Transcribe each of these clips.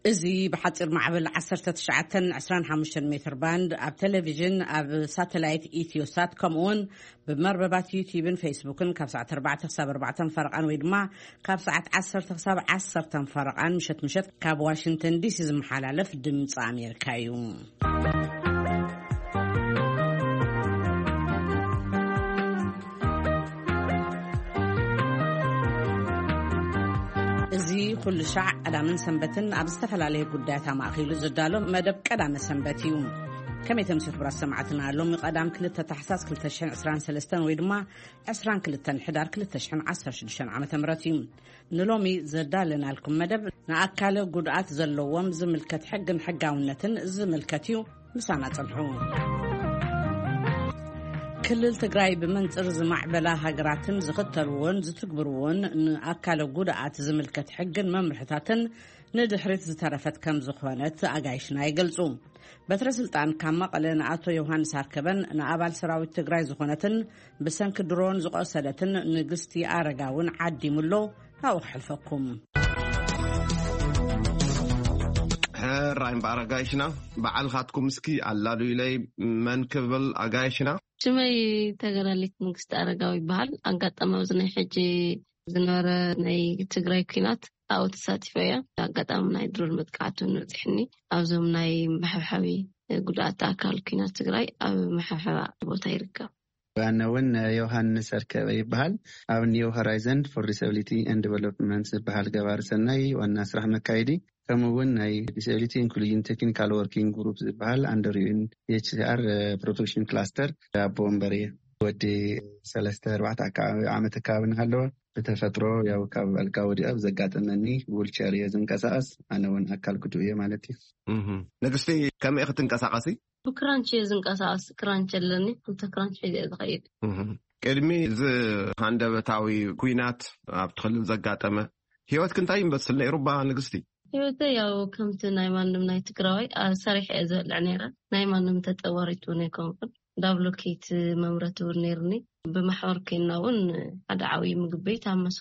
እዚ ብሓፂር ማዕበል ዓሰርተ ትሽዓተን ዕስራን ሓሙሽተን ሜትር ባንድ፣ ኣብ ቴሌቪዥን፣ ኣብ ሳተላይት ኢትዮሳት፣ ከምኡውን ብመርበባት ዩቲዩብን ፌስቡክን ካብ ሰዓት ኣርባዕተ ክሳብ ኣርባዕተ ፈረቓን ወይ ድማ ካብ ሰዓት ዓሰርተ ክሳብ ዓሰርተ ፈረቓን ምሸት ምሸት ካብ ዋሽንግተን ዲሲ ዝመሓላለፍ ድምፂ ኣሜሪካ እዩ። እዚ ኩሉ ሻዕ ቀዳምን ሰንበትን ኣብ ዝተፈላለየ ጉዳያት ኣማእኪሉ ዝዳሎ መደብ ቀዳመ ሰንበት እዩ። ከመይ ተምሲ ክብራት ሰማዕትና፣ ሎሚ ቀዳም ክልተ ታሕሳስ ክልተ ሽሕን ዕስራን ሰለስተን ወይ ድማ ዕስራን ክልተን ሕዳር ክልተ ሽሕን ዓሰርተ ሽዱሽተን ዓመተ ምህረት እዩ። ንሎሚ ዘዳለናልኩም መደብ ንኣካለ ጉድኣት ዘለዎም ዝምልከት ሕግን ሕጋውነትን ዝምልከት እዩ። ምሳና ጽንሑ። ክልል ትግራይ ብመንጽር ዝማዕበላ ሃገራትን ዝኽተልዎን ዝትግብርዎን ንኣካለ ጉድኣት ዝምልከት ሕግን መምርሕታትን ንድሕሪት ዝተረፈት ከም ዝኾነት ኣጋይሽና ይገልጹ። በትረ ስልጣን ካብ መቐለ ንኣቶ ዮሃንስ ኣርከበን ንኣባል ሰራዊት ትግራይ ዝኾነትን ብሰንኪ ድሮን ዝቆሰለትን ንግስቲ ኣረጋውን ዓዲሙ ኣሎ። ናብኡ ክሕልፈኩም። ሕራይ እምበኣር ኣጋይሽና፣ በዓልኻትኩም እስኪ ኣላሉ ኢለይ፣ መን ክብል ኣጋይሽና? ሽመይ ተገዳሊት መንግስቲ ኣረጋዊ ይበሃል። ኣጋጣሚ ኣብዚ ናይ ሕጂ ዝነበረ ናይ ትግራይ ኲናት ኣብኡ ተሳቲፈ እየ። ኣጋጣሚ ናይ ድሮን መጥቃዕቲ እውን በፂሕኒ። ኣብዞም ናይ መሐብሐቢ ጉድኣት ኣካል ኲናት ትግራይ ኣብ መሐብሐባ ቦታ ይርከብ። ኣነ እውን ዮሃንስ ኣርከበ ይበሃል። ኣብ ኒው ሆራይዘን ፎር ዲስብሊቲ ኤንድ ዲቨሎፕመንት ዝበሃል ገባሪ ሰናይ ዋና ስራሕ መካየዲ፣ ከምኡ እውን ናይ ዲስብሊቲ ኢንክሉዥን ቴክኒካል ወርኪንግ ግሩፕ ዝበሃል ኣንደር ዩ ኤን ኤች ሲ ኣር ፕሮቴክሽን ክላስተር ኣቦ ወንበር እየ። ወዲ ሰለስተ ኣርባዕተ ኣከባቢ ዓመት ኣከባቢ እናሃለወ ብተፈጥሮ ያው ካብ ኣልጋ ወዲቐ ብዘጋጠመኒ ዊልቸር እየ ዝንቀሳቐስ። ኣነ እውን ኣካል ጉዱእ እየ ማለት እዩ። እህ። ንግስቲ፣ ከመይ ክትንቀሳቐሲ? ብክራንች እየ ዝንቀሳቐስ። ክራንች ኣለኒ፣ ክልተ ክራንች ሒዘ እየ ዝኸይድ። እህ። ቅድሚ እዚ ሃንደበታዊ ኲናት ኣብቲ ክልል ዘጋጠመ ህይወትኪ እንታይ ይመስል ነይሩ እባ ንግስቲ? ህይወተይ ያው ከምቲ ናይ ማንም ናይ ትግራዋይ፣ ኣ፣ ሰሪሐ እየ ዘብልዕ ነይረ። ናይ ማንም ተጠዋሪት እውን ኣይኮንኩን። ዳብሎኬት መምረቲ እውን ነይርኒ። ብማሕበር ኮይንና እውን ሓደ ዓብዪ ምግቢ ቤት ኣብ መሶ፣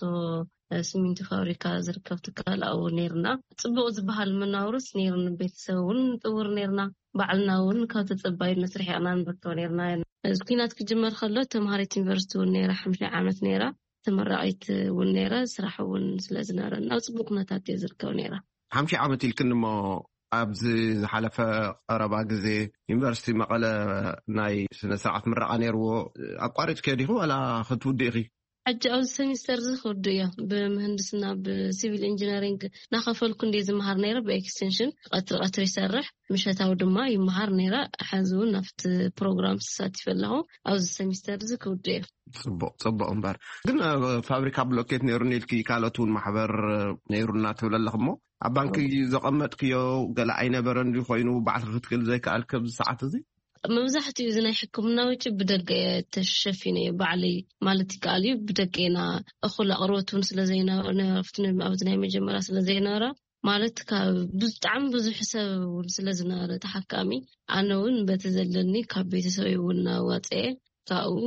እ፣ ሲሚንቶ ፋብሪካ ዝርከብ ትካል ኣብኡ እውን ነይርና። ጽቡቕ ዝበሃል መናውርስ ነይርኒ። ቤተሰብ እውን ንጥውር ነይርና። ባዕልና እውን ካብ ተጸባይነት ርሒቕና ንርከብ ነይርና። እዚ ኲናት ክጅመር ከሎ ተምሃሪት ዩኒቨርሲቲ እውን ነይራ፣ ሓምሻይ ዓመት ነይራ። ተመራቒት እውን ነይረ፣ ስራሕ እውን ስለ ዝነበረና ኣብ ጽቡቕ ኩነታት እየ ዝርከብ ነይረ። ሓምሻይ ዓመት ኢልክኒ እሞ፣ ኣብዚ ዝሓለፈ ቀረባ ግዜ ዩኒቨርሲቲ መቐለ ናይ ስነ ስርዓት ምረቓ ነይርዎ። ኣቋሪጽክዮ ዲኺ ዋላ ክትውድእ ኢኺ? ሕጂ ኣብዚ ሰሚስተር እዚ ክውድእ እዮ። ብምህንድስና፣ ብሲቪል ኢንጂነሪንግ እናኸፈልኩ እንድየ ዝመሃር ነይረ፣ ብኤክስቴንሽን ቀትሪ ቀትሪ ይሰርሕ፣ ምሸታዊ ድማ ይመሃር ነይረ። ሕዚ እውን ኣብቲ ፕሮግራም ተሳቲፈ ኣለኹ። ኣብዚ ሰሚስተር እዚ ክውድእ እዮ። ጽቡቕ፣ ጽቡቕ እምበር። ግን፣ እ፣ ፋብሪካ ብሎኬት ነይሩኒ ኢልኪ፣ ካልኦት እውን ማሕበር፣ እ፣ ነይሩና ትብል ኣለኽ እሞ፣ ኣብ ባንኪ ዘቐመጥክዮ ገለ ኣይነበረን ድዩ ኮይኑ ባዕልኺ ክትክእል ዘይከኣልኪ ኣብዚ ሰዓት እዚ? መብዛሕትኡ እዚ ናይ ሕክምና ወጪ ብደገ እየ ተሸፊነ እየ ባዕለይ ማለት ይከኣል እዩ። ብደገ ኢና እኹል ኣቕርቦት እውን ስለ ዘይነበረ፣ ኣብቲ ናይ መጀመርያ ስለ ዘይነበረ፣ ማለት ካብ ብጣዕሚ ብዙሕ ሰብ እውን ስለ ዝነበረ ተሓካሚ፣ ኣነ እውን በቲ ዘለኒ ካብ ቤተሰበይ እውን እናዋፅኤ ካብኡ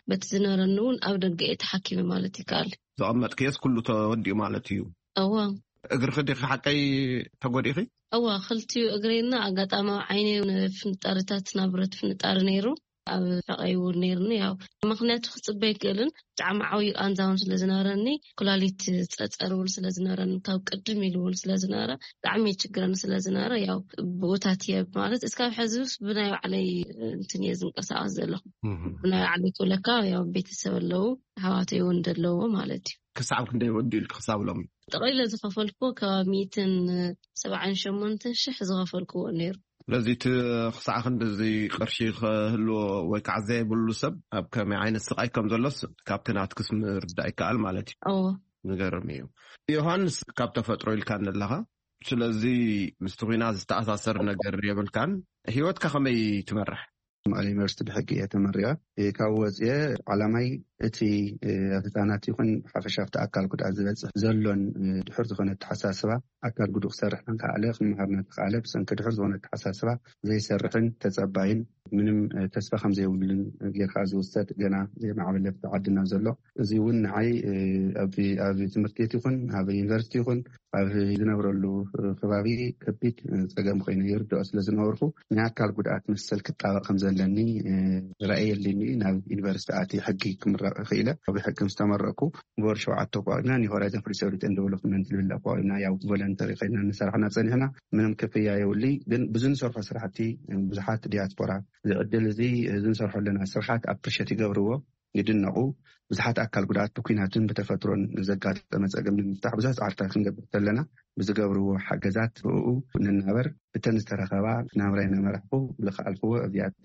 በቲ ዝነበረኒ እውን ኣብ ደገ እየ ተሓኪመ ማለት ይከኣል። ዘቐመጥክዮስ ኩሉ ተወዲኡ ማለት እዩ? እዋ። እግርኺ ዲኺ ሓቀይ ተጎዲእኺ? እዋ፣ ክልቲኡ እግረይና ኣጋጣሚ ዓይነይ እውን ፍንጣሪታት፣ ናይ ብረት ፍንጣሪ ነይሩ። ኣብ ሕቐይ እውን ነይርኒ። ያው ምኽንያቱ ክጽበ ኣይክእልን። ብጣዕሚ ዓብዪ ቃንዛ እውን ስለ ዝነበረኒ፣ ኩላሊት ጸጸር እውን ስለ ዝነበረኒ፣ ካብ ቅድም ኢሉ እውን ስለ ዝነበረ፣ ብጣዕሚ የችግረኒ ስለ ዝነበረ፣ ያው ብኡታት እየ ማለት፣ እስካብ ሕዚ ውስ ብናይ ባዕለይ እንትን እየ ዝንቀሳቐስ ዘለኹ። እህ። ብናይ ባዕለይ ክብለካ፣ ያው ቤተሰብ ኣለዉ፣ ኣሕዋተይ እውን ደለዎ ማለት እዩ። ክሳብ ክንደይ ወዲኡ ኢልኪ ክሳብ ሎሚ? ጠቕሊለ ዝኸፈልክዎ ከባቢ ሚእትን ሰብዓን ሸሞንተን ሽሕ ዝኸፈልክዎ ነይሩ። ስለዚ እቲ ክሳዕ ክንድዚ ቅርሺ ክህልዎ ወይ ከዓ ዘይብሉ ሰብ ኣብ ከመይ ዓይነት ስቓይ ከም ዘሎስ ካብቲ ናትክስ ምርዳእ ይከኣል ማለት እዩ። እዎ። ዝገርም እዩ። ዮሃንስ፣ ካብ ተፈጥሮ ኢልካ ኣለኻ። ስለዚ ምስቲ ኲናት ዝተኣሳሰር ነገር የብልካን። ህይወትካ ከመይ ትመርሕ? መቐለ ዩኒቨርሲቲ ብሕጊ እየ ተመሪቐ። እ፣ ካብኡ ወፅየ ዓላማይ እቲ ኣብ ህፃናት ይኹን ብሓፈሻ ኣብቲ ኣካል ጉድኣት ዝበፅሕ ዘሎን ድሑር ዝኾነ ኣተሓሳስባ፣ ኣካል ጉዱእ ክሰርሕ እንከኣለ፣ ክመሃር እናተኸኣለ ብሰንኪ ድሑር ዝኾነ ኣተሓሳስባ ዘይሰርሕን ተፀባይን ምንም ተስፋ ከም ዘይብሉን ጌርካ ዝውሰድ ገና ዘይማዕበለ ኣብቲ ዓድና ዘሎ። እዚ እውን ንዓይ ኣብ ትምህርቲ ቤት ይኹን ኣብ ዩኒቨርሲቲ ይኹን ኣብ ዝነብረሉ ከባቢ ከቢድ ፀገም ኮይኑ ይርድኦ ስለ ዝነበርኩ፣ ናይ ኣካል ጉድኣት መሰል ክጣበቕ ከም ዘለኒ ራእይ የልኒ። ናብ ዩኒቨርሲቲ ኣትየ ሕጊ ክምረቕ ክኢለ። ኣብ ሕጊ ምስ ተመረቕኩ ብወር ሸውዓተ ኣቋቂምና ናይ ሆራይዘን ፍሪ ሴኩሪቲ ኤንድ ዴቨሎፕመንት ዝብል ኣቋቂምና፣ ያው ቮለንተሪ ኮይና ንሰርሕና ፀኒሕና። ምንም ክፍያ የብሉይ፣ ግን ብዙ ንሰርሖ ስራሕቲ ብዙሓት ዲያስፖራ እዚ ዕድል እዚ፣ እዚ ንሰርሖ ኣለና ስራሓት ኣፕሪሸት ይገብርዎ፣ ይድነቑ። ብዙሓት ኣካል ጉድኣት ብኲናትን ብተፈጥሮን ዘጋጠመ ፀገም ንምፍታሕ ብዙሕ ፃዕርታት ክንገብር ከለና ብዝገብርዎ ሓገዛት ብኡ ንናበር። ብተን ዝተረኸባ ናብራይ እናመራሕኩ ዝኸኣልክዎ ኣብዚኣት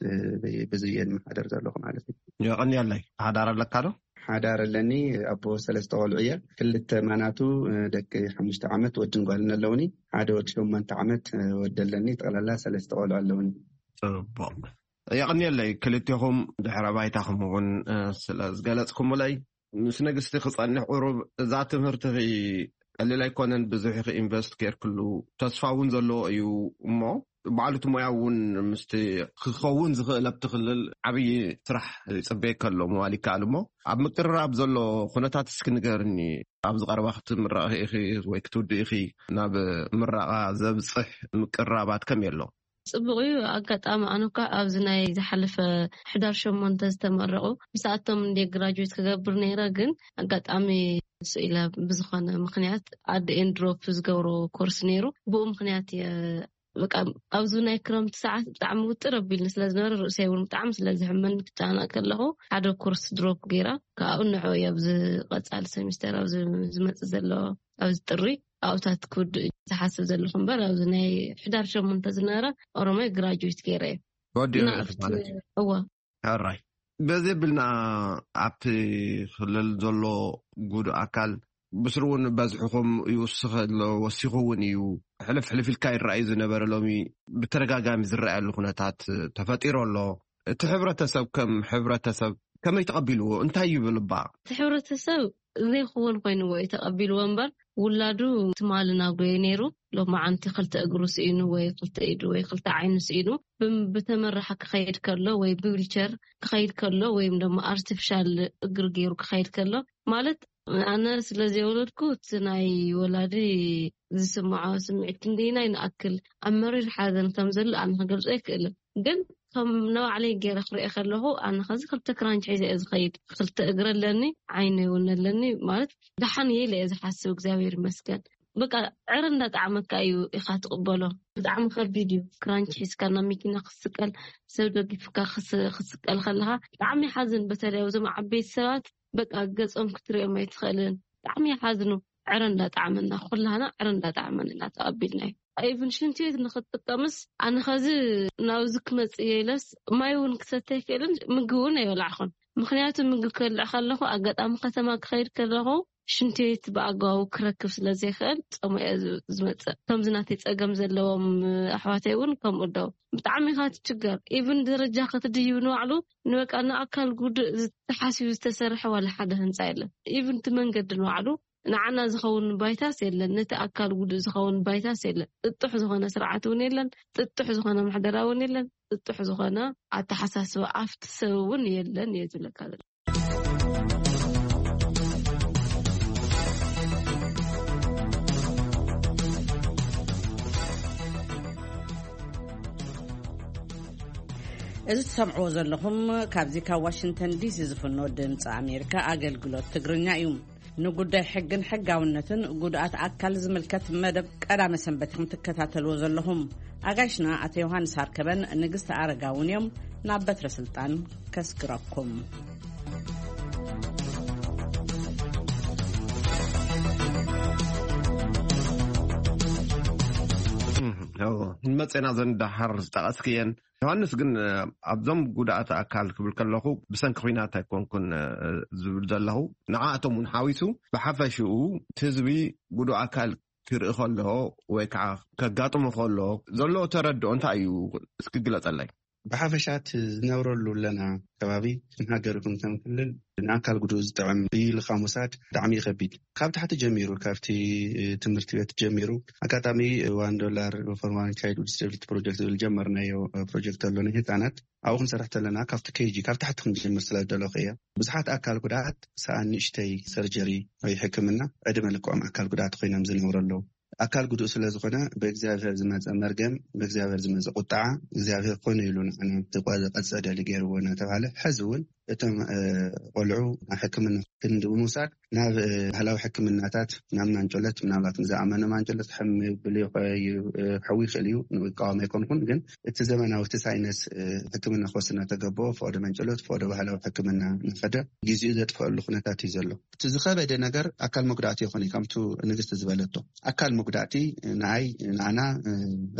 ብዙ እየ ዝመሓደር ዘለኹ ማለት እዩ። የቐንየለይ። ሓዳር ኣለካ ዶ? ሓዳር ኣለኒ። ኣቦ ሰለስተ ቆልዑ እየ። ክልተ ማናቱ ደቂ ሓሙሽተ ዓመት ወድን ጓልን ኣለውኒ። ሓደ ወዲ ሸሞንተ ዓመት ወዲ ኣለኒ። ጠቕላላ ሰለስተ ቆልዑ ኣለውኒ። ጽቡቕ። የቐንየለይ ክልቴኹም ድሕረ ባይታኹም እውን ስለ ዝገለጽኩምለይ። ምስ ንግስቲ ክጸንሕ ቁሩብ እዛ ትምህርትኺ ቀሊል ኣይኮነን፣ ብዙሕ ኢኺ ኢንቨስት ጌርክሉ፣ ተስፋ እውን ዘለዎ እዩ። እሞ ባዕሉ እቲ ሞያ እውን ምስቲ ክኸውን ዝኽእል ኣብቲ ክልል ዓብዪ ስራሕ ይጽበየካ ኣሎ ምባል ይከኣል። እሞ ኣብ ምቅርራብ ዘሎ ኩነታት እስኪ ንገርኒ። ኣብዚ ቀረባ ክትምረቒ ኢኺ ወይ ክትውድኢ ኢኺ፣ ናብ ምረቓ ዘብጽሕ ምቅርራባት ከመይ ኣሎ? ጽቡቕ እዩ። ኣጋጣሚ ኣነ እኳ ኣብዚ ናይ ዝሓለፈ ሕዳር ሸሞንተ ዝተመረቑ ምስኣቶም እንደ ግራጁዌት ክገብር ነይረ፣ ግን ኣጋጣሚ ስኢለ ብዝኾነ ምኽንያት ኣደ ኤንድሮፕ ዝገብሮ ኮርስ ነይሩ። ብኡ ምኽንያት እየ በቃ ኣብዚ ናይ ክረምቲ ሰዓት ብጣዕሚ ውጥር ኣቢልኒ ስለ ዝነበረ፣ ርእሰይ እውን ብጣዕሚ ስለ ዝሕመኒ ክጨናነቕ ከለኹ ሓደ ኮርስ ድሮፕ ገይረ፣ ካብኡ ንዕኡ እየ ኣብዚ ቀጻሊ ሰሚስተር ኣብዚ ዝመጽእ ዘሎ ኣብዚ ጥሪ ኣብታት ክውድእ ዝሓስብ ዘለኹ እምበር፣ ኣብዚ ናይ ሕዳር ሸሞንተ ዝነበረ ኦሮማይ ግራጁዌት ገይረ እየ። ወዲኡ እና ማለት እዩ። እወ። ሕራይ። በዚ ብልና ኣብቲ ክልል ዘሎ ጉዱእ ኣካል ብስሩ እውን በዝሕኹም ይውስኽ ኣሎ፣ ወሲኹ እውን እዩ። ሕልፍ ሕልፍ ኢልካ ይረኣዩ ዝነበረ ሎሚ ብተደጋጋሚ ዝረኣየሉ ኩነታት ተፈጢሩ ኣሎ። እቲ ሕብረተሰብ ከም ሕብረተሰብ ከመይ ተቐቢልዎ? እንታይ ይብል እባ? እቲ ሕብረተሰብ ዘይክውን ኮይንዎ እዩ ተቐቢልዎ እምበር፣ ውላዱ ትማሊ ናጉየ ነይሩ፣ ሎማዓንቲ ክልተ እግሩ ስኢኑ ወይ ክልተ ኢዱ ወይ ክልተ ዓይኑ ስኢኑ፣ ብም-፣ ብተመራሓ ክኸይድ ከሎ ወይ ብዊልቸር ክኸይድ ከሎ ወይም ደሞ ኣርቲፊሻል እግሪ ገይሩ ክኸይድ ከሎ፣ ማለት ኣነ ስለ ዘይወለድኩ እቲ ናይ ወላዲ ዝስምዖ ስምዒት ክንደይናይ ንኣክል ኣብ መሪር ሓዘን ከም ዘሎ ኣነ ክገልጾ ኣይክእልን። ግን ከም ንባዕለይ ገይረ ክሪኦ ከለኹ፣ ኣነ ኸዚ ክልተ ክራንች ሒዘ እየ ዝኸይድ። ክልተ እግሪ ኣለኒ፣ ዓይነ እውን ኣለኒ። ማለት ደሓን እየ ኢለ እየ ዝሓስብ፣ እግዚኣብሔር ይመስገን። በቃ ዕረ እንዳጣዕመካ እዩ ኢኻ ትቕበሎ። ብጣዕሚ ከቢድ እዩ። ክራንች ሒዝካ ናብ መኪና ክትስቀል፣ ሰብ ደጊፍካ ክስ-፣ ክትስቀል ከለኻ ብጣዕሚ ይሓዝን። በተለይ ኣብዞም ዓበይቲ ሰባት በቃ ገጾም ክትሪኦም ኣይትኽእልን። ብጣዕሚ ይሓዝኑ። ዕረ እንዳጣዕመና፣ ኩላህና ዕረ እንዳጣዕመና ኢና ተቐቢልናዮ። ኢቭን ሽንቲ ቤት ንኽትጥቀምስ ኣነ ኸዚ ናብዚ ክመጽእ እየ ኢለስ ማይ እውን ክሰተ ኣይክእልን፣ ምግቢ እውን ኣይበላዕኹን። ምኽንያቱ ምግቢ ክበልዕ ከለኹ ኣጋጣሚ ከተማ ክኸይድ ከለኹ ሽንቲ ቤት ብኣግባቡ ክረክብ ስለ ዘይክእል ጸሙ እየ ዝ-፣ ዝመጽእ። ከምዚ ናተይ ጸገም ዘለዎም ኣሕዋተይ እውን ከምኡ ደው። ብጣዕሚ ኢኻ ትችገር። ኢቭን ደረጃ ክትድይብ ንባዕሉ ንበቃ ንኣካል ጉዱእ ተሓሲቡ ዝተሰርሐ ዋላ ሓደ ህንጻ የለን። ኢቭን እቲ መንገዲ ንባዕሉ ንዓና ዝኸውን ባይታስ የለን፣ ነቲ ኣካል ጉዱእ ዝኸውን ባይታስ የለን። ጥጡሕ ዝኾነ ስርዓት እውን የለን፣ ጥጡሕ ዝኾነ ምሕደራ እውን የለን፣ ጥጡሕ ዝኾነ ኣተሓሳስባ ኣብቲ ሰብ እውን የለን እየ ዝብለካ ዘለኹ። እዚ ትሰምዕዎ ዘለኹም ካብዚ ካብ ዋሽንግተን ዲሲ ዝፍኖ ድምፂ ኣሜሪካ ኣገልግሎት ትግርኛ እዩ። ንጉዳይ ሕግን ሕጋውነትን ጉድኣት ኣካል ዝምልከት መደብ ቀዳመ ሰንበት ኢኹም ትከታተልዎ ዘለኹም። ኣጋይሽና ኣቶ ዮሃንስ ኣርከበን ንግስቲ ኣረጋውን እዮም ናብ በትረ ስልጣን ከስግረኩም። እም፣ እዎ፣ ንመፅና ዘን ደሓር ዝጠቐስክየን። ዮሃንስ ግን፣ እ፣ ኣብዞም ጉድኣት ኣካል ክብል ከለኹ ብሰንኪ ኲናት ኣይኮንኩን፣ እ፣ ዝብል ዘለኹ። ንዓኣቶም እውን ሓዊሱ ብሓፈሽኡ እቲ ህዝቢ ጉዱእ ኣካል ክርኢ ከሎ ወይ ከዓ ከጋጥሞ ከሎ ዘለዎ ተረድኦ እንታይ እዩ? እስኪ ግለጸለይ። ብሓፈሻት ዝነብረሉ ኣለና ከባቢ ንሃገር ይኹን ከም ክልል ንኣካል ጉዱእ ዝጥዕም እዩ ኢልካ ምውሳድ ብጣዕሚ ይኸቢድ። ካብ ታሕቲ ጀሚሩ፣ ካብቲ ትምህርቲ ቤት ጀሚሩ፣ ኣጋጣሚ ዋን ዶላር ፎር ዋን ቻይልድ ዲስብሊቲ ፕሮጀክት ዝብል ጀመርናዮ ፕሮጀክት ኣሎ ንህፃናት። ኣብኡ ክንሰርሕ ተለና ካብቲ ኬጂ ካብ ታሕቲ ክንጀምር ስለ ዝደለኹ እየ። ብዙሓት ኣካል ጉዳት ሰኣን ንእሽተይ ሰርጀሪ ወይ ሕክምና ዕድመ ልክዖም ኣካል ጉዳት ኮይኖም ዝነብሩ ኣለዉ። ኣካል ጉዱእ ስለ ዝኾነ ብእግዚኣብሔር ዝመፀ መርገም፣ ብእግዚኣብሔር ዝመፀ ቁጣዓ እግዚኣብሔር ኮነ ኢሉ ንዓና ዝቆ- ዝቀፀደሊ ገይርዎ እናተባሃለ ሕዚ እውን እቶም እ፣ ቆልዑ ናብ ሕክምና ክንዲ ብምውሳድ ናብ እ፣ ባህላዊ ሕክምናታት ናብ ማንጨሎት፣ ምናልባት ንዝኣመነ ማንጨሎት ሕም ይብል ይኸ- ዩ- እ፣ ክሕዊ ይኽእል እዩ፣ ንቃወም ኣይኮንኩን። ግን እቲ ዘመናዊ እቲ ሳይነስ እ፣ ሕክምና ክወስድ እናተገበኦ ፈቐዶ ማንጨሎት ፈቐዶ ባህላዊ ሕክምና እናኸደ ግዚኡ ዘጥፈአሉ ኩነታት እዩ ዘሎ። እቲ ዝኸበደ ነገር ኣካል መጉዳእቲ ይኾን እዩ፣ ከምቱ ንግስቲ ዝበለቶ ኣካል መጉዳእቲ ንኣይ ንኣና እ፣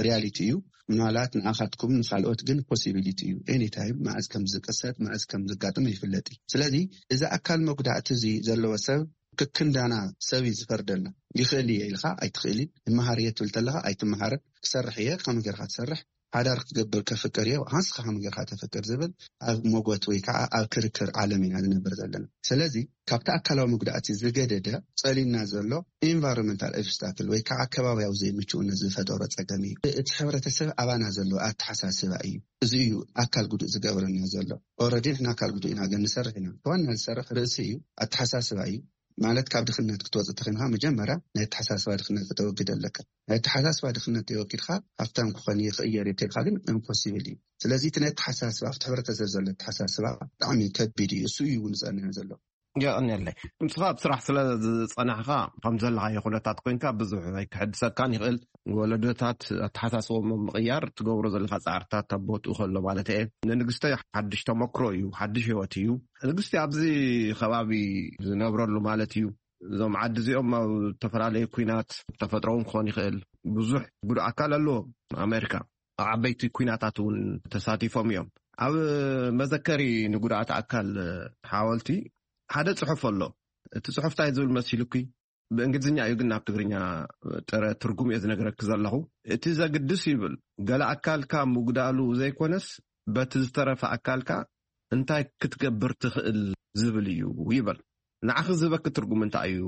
ሪያሊቲ እዩ። ምናልባት ንኣኻትኩም ንካልኦት ግን ፖሲቢሊቲ እዩ። ኤኒታይም መዓዝ ከም ዝቅሰት መዓዝ ከም ዝጋጥም ይፍለጥ እዩ። ስለዚ እዚ ኣካል መጉዳእቲ እዚ ዘለዎ ሰብ ክክንዳና ሰብ እዩ ዝፈርደልና። ይኽእል እየ ኢልካ ኣይትኽእልን፣ ይመሃር እየ ትብል ተለካ ኣይትመሃርን፣ ክሰርሕ እየ ከመይ ጌርካ ትሰርሕ፣ ሓዳር ክገብር ከፍቅር እየ ንስኻ ከመይ ጌርካ ተፍቅር ዝብል ኣብ ሞጎት ወይ ከዓ ኣብ ክርክር ዓለም ኢና ዝነብር ዘለና። ስለዚ ካብቲ ኣካላዊ መጉዳእቲ ዝገደደ ጸሊና ዘሎ ኢንቫይሮንመንታል ኦብስታክል ወይ ከዓ ከባቢያዊ ዘይምችኡነት ዝፈጠሮ ጸገም እዩ። እቲ ሕብረተሰብ ኣባና ዘሎ ኣተሓሳስባ እዩ። እዚ እዩ ኣካል ጉዱእ ዝገብረና ዘሎ። ኦረዲ ንሕና ኣካል ጉዱእ ኢና ግን ንሰርሕ ኢና። ዋና ዝሰርሕ ርእሲ እዩ፣ ኣተሓሳስባ እዩ። ማለት ካብ ድኽነት ክትወፅእ ተኾይንካ መጀመርያ ናይ ኣተሓሳስባ ድኽነት ከተወግድ ኣለካ። ናይ ኣተሓሳስባ ድኽነት ተወጊድካ ሃብታም ክኾን እየ ክቕየር እየ ተልካ ግን ኢምፖሲብል እዩ። ስለዚ እቲ ናይ ኣተሓሳስባ ኣብቲ ሕብረተሰብ ዘሎ ኣተሓሳስባ ብጣዕሚ ከቢድ እዩ። እሱ እዩ እውን ዝፀንዕ ዘሎ። የቐንየለይ። ንስኻ ኣብ ስራሕ ስለ ዝጸናሕካ ከም ዘለኻዮ ኩነታት ኮይንካ ብዙሕ ኣይክሕድሰካን ይኽእል። ወለዶታት ኣተሓሳስቦም ምቕያር ትገብሮ ዘለኻ ጻዕርታት ኣብ ቦትኡ ከሎ ማለት እየ። ንንግስተይ ሓድሽ ተመክሮ እዩ፣ ሓድሽ ህይወት እዩ። ንግስቲ ኣብዚ ከባቢ ዝነብረሉ ማለት እዩ። እዞም ዓዲ እዚኦም ኣብ ዝተፈላለዩ ኩናት ተፈጥሮ እውን ክኾን ይኽእል ብዙሕ ጉዱእ ኣካል ኣለዎም። ኣሜሪካ ኣብ ዓበይቲ ኩናታት እውን ተሳቲፎም እዮም። ኣብ መዘከሪ ንጉድኣት ኣካል ሓወልቲ ሓደ ጽሑፍ ኣሎ። እቲ ጽሑፍ እንታይ ዝብል መሲሉኪ? ብእንግሊዝኛ እዩ ግን ናብ ትግርኛ ጥረ ትርጉም እየ ዝነግረኪ ዘለኹ። እቲ ዘግድስ ይብል ገለ ኣካልካ ምጉዳሉ ዘይኮነስ በቲ ዝተረፈ ኣካልካ እንታይ ክትገብር ትኽእል ዝብል እዩ ይበል። ንዓኺ ዝህበኪ ትርጉም እንታይ እዩ?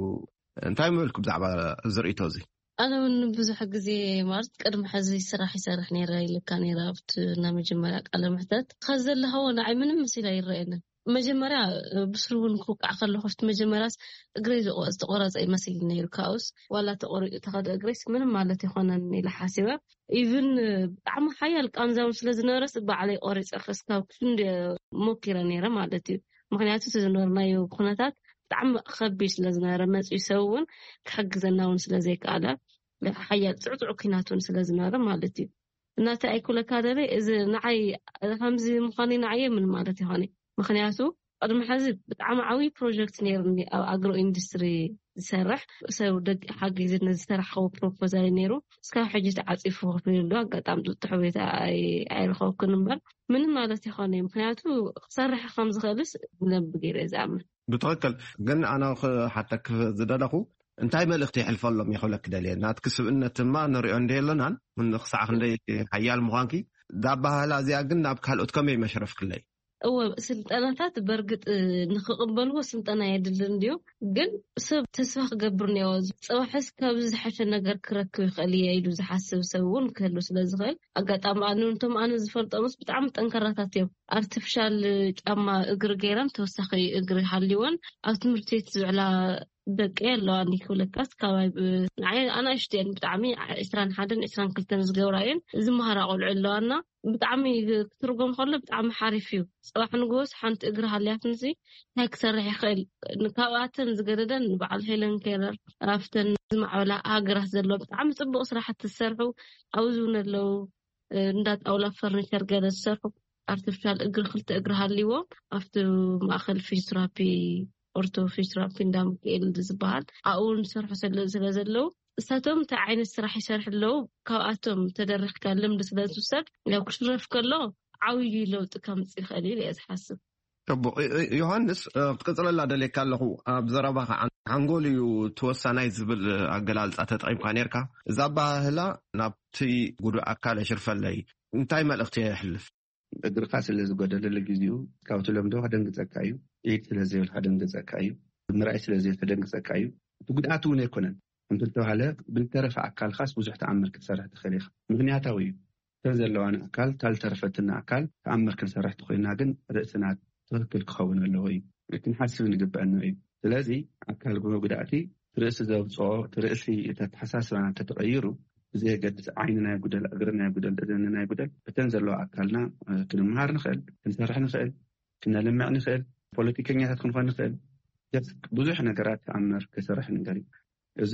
እንታይ ምበልኪ ብዛዕባ እዚ ርእይቶ እዚ? ኣነ እውን ብዙሕ ግዜ ማለት ቅድሚ ሕዚ ስራሕ ይሰርሕ ነይረ ኢልካ ነይረ ኣብቲ ናይ መጀመርያ ቃለ ምሕተት። ከዚ ዘለኻዎ ንዓይ ምንም መሲሉ ኣይረኣየንን። መጀመርያ ብስሩ እውን ክውቃዕ ከለኹ ኣብቲ መጀመርያስ እግረይ ዝቆ- ዝተቆረፀ ይመስል ነይሩ። ካብኡስ ዋላ ተቆሪፁ ተኸደ እግረይስ ምንም ማለት ይኾነን ኢለ ሓሲበ። ኢቭን ብጣዕሚ ሓያል ቃንዛውን ስለ ዝነበረስ ባዕለይ ቆሪፀ ክስካብ ክንዲ ሞኪረ ነይረ ማለት እዩ። ምክንያቱ እቲ ዝነበርናዮ ኩነታት ብጣዕሚ ከቢድ ስለ ዝነበረ መፅኡ ሰብ እውን ክሕግዘና እውን ስለ ዘይከኣለ ሓያል ፅዕፅዑ ኩናት እውን ስለ ዝነበረ ማለት እዩ። እናተ ኣይኩለካ ደለ እዚ ንዓይ ከምዚ ምዃኑ ንዓየ ምን ማለት ይኾነ? ምክንያቱ ቅድሚ ሕዚ ብጣዕሚ ዓብዪ ፕሮጀክት ነይሩኒ ኣብ ኣግሮ ኢንዱስትሪ ዝሰርሕ ሰብ ደቂ ሓጊዝኒ ዝሰራሕከዎ ፕሮፖዛል ነይሩ። እስካብ ሕጂ ተዓፂፉ ኮፍ ኢሉ ኣሎ። ኣጋጣሚ ጥጥሑ ቤት ኣይ- ኣይረኸብኩን እምበር ምንም ማለት ይኾነ እዩ። ምክንያቱ ክሰርሕ ከም ዝኽእልስ ብደንብ ገይረ እየ ዝኣምን። ብትኽክል። ግን ኣነ ክሓተክ ዝደለኹ እንታይ መልእኽቲ የሕልፈሎም ይኽእለክ ደልየ ናትክ ስብእነት ድማ ንሪኦ እንደ የለናን ክሳዕ ክንደይ ሓያል ምዃንኪ እዛ ኣባህላ እዚኣ ግን ናብ ካልኦት ከመይ መሽረፍክለይ? እወ ስልጠናታት በርግጥ ንክቕበልዎ ስልጠና የድሊ እንድዩ። ግን ሰብ ተስፋ ክገብር እኒኦ። ፅባሕስ ካብዚ ዝሓሸ ነገር ክረክብ ይኽእል እየ ኢሉ ዝሓስብ ሰብ እውን ክህሉ ስለ ዝኽእል ኣጋጣሚ ኣነ ነቶም ኣነ ዝፈልጦምስ ብጣዕሚ ጠንከራታት እዮም። ኣርቲፊሻል ጫማ እግሪ ገይረን ተወሳኺ እግሪ ሃልወን ኣብ ትምህርቲ ቤት ዝውዕላ ደቂ ኣለዋኒ ክብለካስ ካባይ ብ- ንዓይ ኣናእሽቱ እየን ብጣዕሚ ዕስራን ሓደን ዕስራን ክልተን ዝገብራ እየን ዝመሃራ ቆልዑ ኣለዋና። ብጣዕሚ ክትርጎም ከሎ ብጣዕሚ ሓሪፍ እዩ። ፅባሕ ንግሆስ ሓንቲ እግሪ ሃልያትንሲ እንታይ ክሰርሕ ይኽእል? ካብኣተን ዝገደደን ንበዓል ሄለን ኬለር ኣብተን ዝማዕበላ ሃገራት ዘሎ ብጣዕሚ ፅቡቅ ስራሕቲ ዝሰርሑ ኣብዚ እውን ኣለዉ። እንዳ ጣውላ ፈርኒቸር ገለ ዝሰርሑ ኣርቲፊሻል እግሪ ክልተ እግሪ ሃልይዎም ኣብቲ ማእኸል ፊዚዮቴራፒ ኦርቶ ፊዚዮቴራፒ እንዳ ሚካኤል ዝበሃል ኣብኡ ዝሰርሑ ስለ ስለ ዘለዉ እሳቶም እንታይ ዓይነት ስራሕ ይሰርሑ ኣለዉ ካብኣቶም ተደሪኽካ ልምዲ ስለ ዝውሰድ ያው ክሽረፍ ከሎ ዓብዪ ለውጢ ከምፅእ ይኽእል ኢለ እየ ዝሓስብ። ጽቡቕ። ዮ- ዮ- ዮሃንስ፣ እ፣ ክትቅጽለላ ደልየካ ኣለኹ። ኣብ ዘረባኻ ሓን- ሓንጎል እዩ እቲ ወሳናይ ዝብል ኣገላልጻ ተጠቒምካ ነርካ። እዛ ኣበሃህላ ናብቲ ጉዱእ ኣካል ኣሽርፈለይ እንታይ መልእኽቲ የሕልፍ? እግርካ ስለ ዝጎደለ ለጊዜኡ ካብ ትለምዶ ከደንግጸካ እዩ። ኢድ ስለ ዘይብል ከደንግጸካ እዩ። ምርኣይ ስለ ዘይብል ከደንግጸካ እዩ። እቲ ጉድኣት እውን ኣይኮነን። እንተተባሃለ ብልተረፈ ኣካልካስ ብዙሕ ተኣምር ክትሰርሕ ትኽእል ኢኻ። ምኽንያታዊ እዩ። እተን ዘለዋን ኣካል፣ እታ ዝተረፈትና ኣካል ተኣምር ክንሰርሕ ተኾይና ግን ርእስና ትኽክል ክኸውን ኣለዎ እዩ። ክንሓስብ ንግበአና እዩ። ስለዚ ኣካል መጉዳእቲ ርእሲ ዘውፅኦ፣ እቲ ርእሲ፣ እቲ ኣተሓሳስባና እንተተቐይሩ፣ ብዘየገድስ ዓይንና ይጉደል፣ እግርና ይጉደል፣ እዝንና ይጉደል፣ እተን ዘለዋ ኣካልና ክንመሃር ንኽእል፣ ክንሰርሕ ንኽእል፣ ክነልምዕ ንኽእል፣ ፖለቲከኛታት ክንኾን ንኽእል። ብዙሕ ነገራት ተኣምር ክሰርሕ ነገር እዩ። እዚ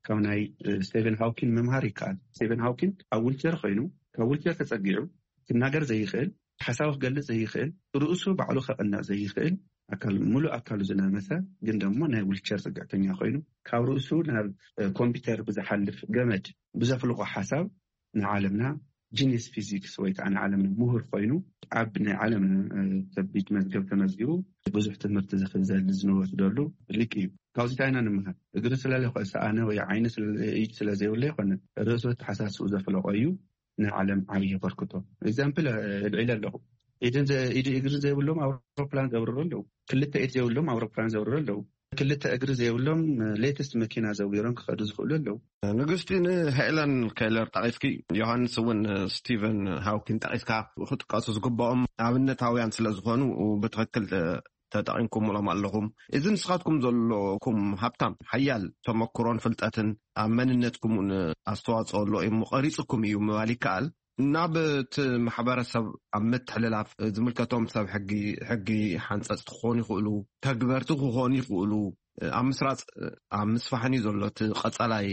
ካብ ናይ ስቴቨን ሃውኪን ምምሃር ይከኣል። ስቴቨን ሃውኪን ኣብ ዊልቸር ኮይኑ፣ ካብ ዊልቸር ተጸጊዑ ክናገር ዘይኽእል፣ ሓሳቡ ክገልጽ ዘይኽእል፣ ርእሱ ባዕሉ ከቕንዕ ዘይኽእል፣ ኣካል፣ ሙሉእ ኣካሉ ዝነመሰ፣ ግን ደሞ ናይ ዊልቸር ጽግዕተኛ ኮይኑ፣ ካብ ርእሱ ናብ ኮምፒውተር ብዝሓልፍ ገመድ ብዘፍልቆ ሓሳብ ንዓለምና ጂኒስ ፊዚክስ ወይ ከዓ ንዓለምና ምሁር ኮይኑ፣ ኣብ ናይ ዓለምና ከቢድ መዝገብ ተመዝጊቡ፣ ብዙሕ ትምህርቲ ዝኽዘል ዝንወስደሉ ሊቅ እዩ። ካብዚ እንታይ ኢና ንምሃር? እግሪ ስለለይኮ ሰኣነ ወይ ዓይኒ ስለ ኢድ ስለ ዘይብሉ ኣይኮነን። ርእሱ ኣተሓሳስቡ ዘፍለቆ እዩ። ንዓለም ዓብዪ የበርክቶ። ኤግዛምፕል እልዒለ ኣለኹ። ኢድን ዘ- ኢድ እግሪ ዘይብሎም ኣውሮፕላን ዘብርሩ ኣለዉ። ክልተ ኢድ ዘይብሎም ኣውሮፕላን ዘብርሩ ኣለዉ። ክልተ እግሪ ዘይብሎም ሌተስት መኪና ዘዊሮም ክኸዱ ዝኽእሉ ኣለዉ። ንግስቲ፣ ንሄለን ኬለር ጠቒስኪ፣ ዮሃንስ እውን ስቲቨን ሃውኪን ጠቒስካ ክጥቀሱ ዝግባኦም ኣብነታውያን ስለ ዝኾኑ ብትኽክል ተጠቒምኩምሎም ኣለኹም። እዚ ንስኻትኩም ዘለኩም ሃብታም ሓያል ተመክሮን ፍልጠትን ኣብ መንነትኩም እውን ኣስተዋፅኦ ኣሎ እዩ፣ ቀሪፅኩም እዩ ምባል ይከኣል። ናብ እቲ ማሕበረሰብ ኣብ ምትሕልላፍ ዝምልከቶም ሰብ ሕጊ፣ ሕጊ ሓንፀፅቲ ክኾኑ ይኽእሉ፣ ተግበርቲ ክኾኑ ይኽእሉ። ኣብ ምስራፅ፣ ኣብ ምስፋሕን እዩ ዘሎ እቲ ቀፃላይ